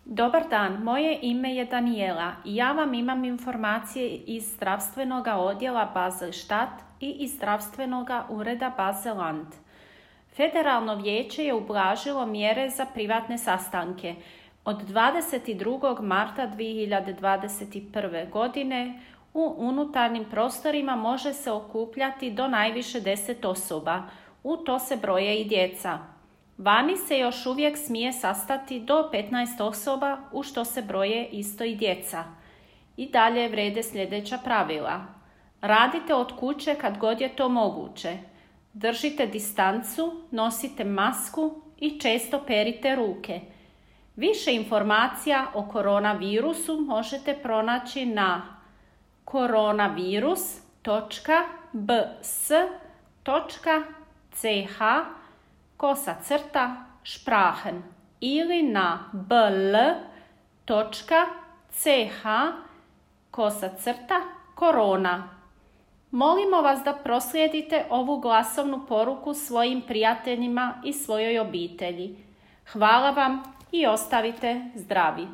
Dobar dan, moje ime je Daniela i ja vam imam informacije iz zdravstvenog odjela Basel-Stadt i iz zdravstvenog ureda Basel-Land. Federalno vijeće je ublažilo mjere za privatne sastanke. Od 22. marta 2021. godine u unutarnjim prostorima može se okupljati do najviše 10 osoba. U to se broje i djeca. Vani se još uvijek smije sastati do 15 osoba, u što se broje isto i djeca. I dalje vrijede sljedeća pravila. Radite od kuće kad god je to moguće. Držite distancu, nosite masku i često perite ruke. Više informacija o koronavirusu možete pronaći na coronavirus.bs.ch/Sprachen ili na bl.ch/korona. Molimo vas da proslijedite ovu glasovnu poruku svojim prijateljima i svojoj obitelji. Hvala vam i ostavite zdravi.